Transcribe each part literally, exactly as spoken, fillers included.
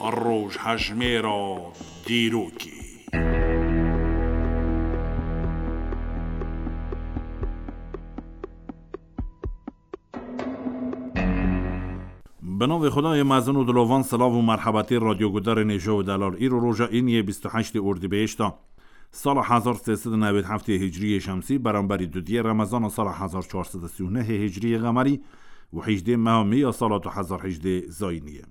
Rojhejmêra dîrokê. Bi navê Xwedayê mezin û dilovan, silav û merhebetê radyogudarên hêja û delal. Îro roja îniyê bîst û heştê Ordîbehişta sala hezar sê sed û newêd heftê Hicriyê Şemsî, beramberî dudiyê Remezana sala hezar çar sed û sî û nehê Hicriyê Qemerî û hejdê meha Mê ya sala du hezar hejdê Zayînî ye.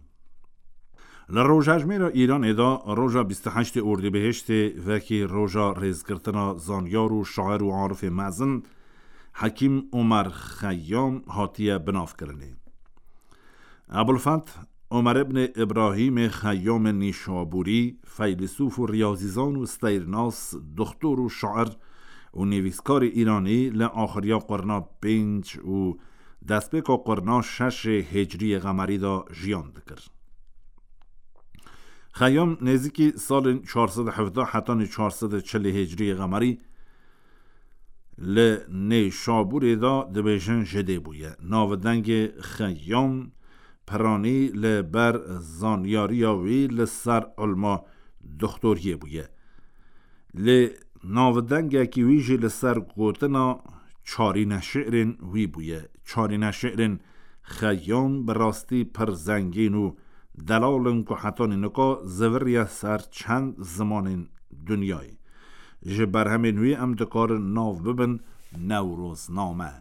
Li rojhejmêra Îranê de roja bîst û heştê Ordîbehiştê wekî roja rêzgirtina zanyar û şair û arifê mezin Hekîm Omer Xeyyam hatiye binavkirinê. Ebulfeth Omer ibnê Îbrahîmê Xeyyamê Nîşabûrî, feylesûf û riyazîzan û steyrnas, doxtor û şair û nivîskarê Îranî li axiriya qurna pênc û destpêka qurna şeş ê Hicriyê Qemerî de jiyan dikir. Xeyyam nêzîkî salên çar sed û hevdeh hetanî çar sed û çil ê Hicriyê Qemerî li Nêşabûrê de dibêjin ji dê bûye. Navdengê Xeyyam piranî li ber zanyariya wî li ser ilma doxtoriyê bûye. Lê navdengekî wî jî li ser gotina çarîne şi'rên wî bûye. Çarîne şi'rên Xeyyam bi rastî pir zengîn û delal in ku hetanî nika ziviriye ser çend zimanên dinyayê. Ji berhemên wî em dikarin nav bibin Newrozname.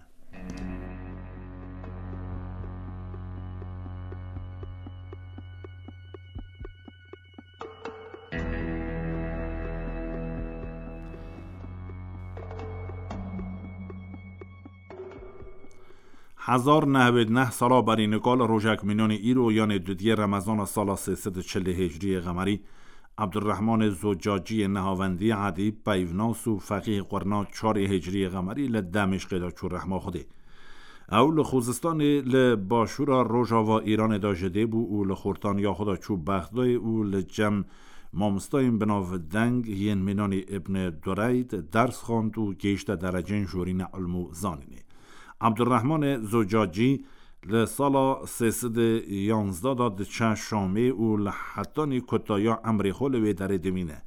Hezar nehwêd neh sala berî nika li rojek mînanî îro, yanê dudiyê Remezana sala sê sed û çil ê Hicriyê Qemerî, Ebdurrehmanê Zocaciyê nehavendî, edîb, peyvnas û feqîhê qurna çar ê Hicriyê Qemerî li Demîşqê de çû rehma Xwedê. Ew li Xuzistanê li başûra rojava Îranê de ji dê bû û li xortaniya xwe de çû Bexdayê û li cem mamostayên binavdeng yên mînanî Îbn Dureyd ders xwend û gihişte dereceyên jorîne ilm û zanînê. Ebdurrehmanê Zocacî li sala sê sed û yanzdeh de diçe Şamê û li hetanî kutaya emrê xwe li wê derê dimîne.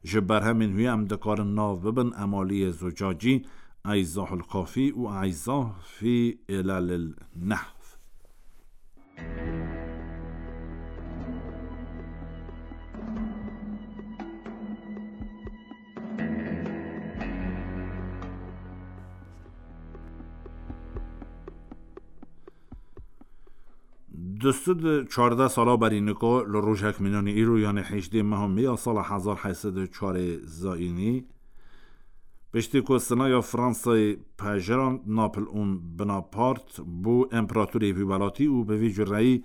Ji berhemên wî em dikarin nav bibin Emaliyê Zocacî, Eyzahul Kafî û Eyzah fî Îlalil Nehv. Du sed û çardeh sala berî nika li rojek mînanî îro, yanê hejdê meha Mê ya sala hezar heyt sed û çar ê Zayînî, piştî ku sinaya Fransayê pejirand, Napoleon Bonaparte bû împeratorê vî welatî û bi vî cureyî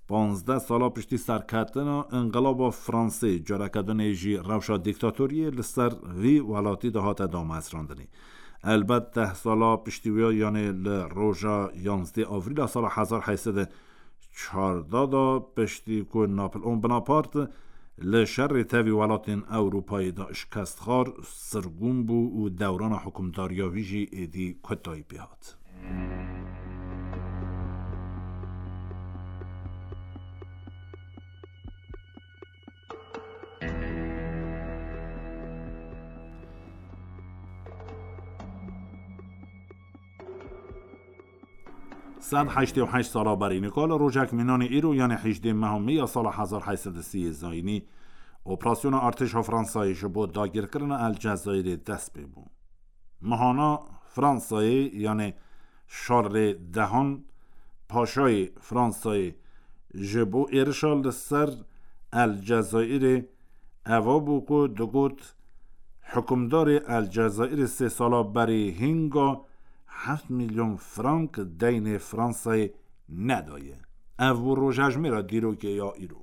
panzdeh sala piştî serketina înqilaba Fransê, careke dinê jî rewşa dîktatoriyê li ser vî welatî de hate damezrandinê. Elbet deh sala piştî wî, yanê li roja yanzdeh Avrîla sala hezar heyt sed û çardeh de, piştî ku Napoleon Bonaparte li şerê tevî welatên Ewropayê de şikest xwar, sirgûn bû û dewrana hukimdariya wî jî êdî kutayî pê hat. Sed heştê û heşt sala berî nika li rojek mînanî îro, yanê hejdê meha Mê ya sala hezar heyt sed û sî yê Zayînî, operasyona artêşa Fransayê ji bo dagirkirina El Cezayirê dest pê bû. Mihana Fransayê, yanê Şarlê Dehan, paşayê Fransayê, ji bo êrişa li ser El Cezayirê, eva bû ku digot, hukimdarê El Cezayirê sê sala berê hînga heft milyon frank deynê Fransayê nedaye. Ev bû rojhejmêra dîrokê ya îro.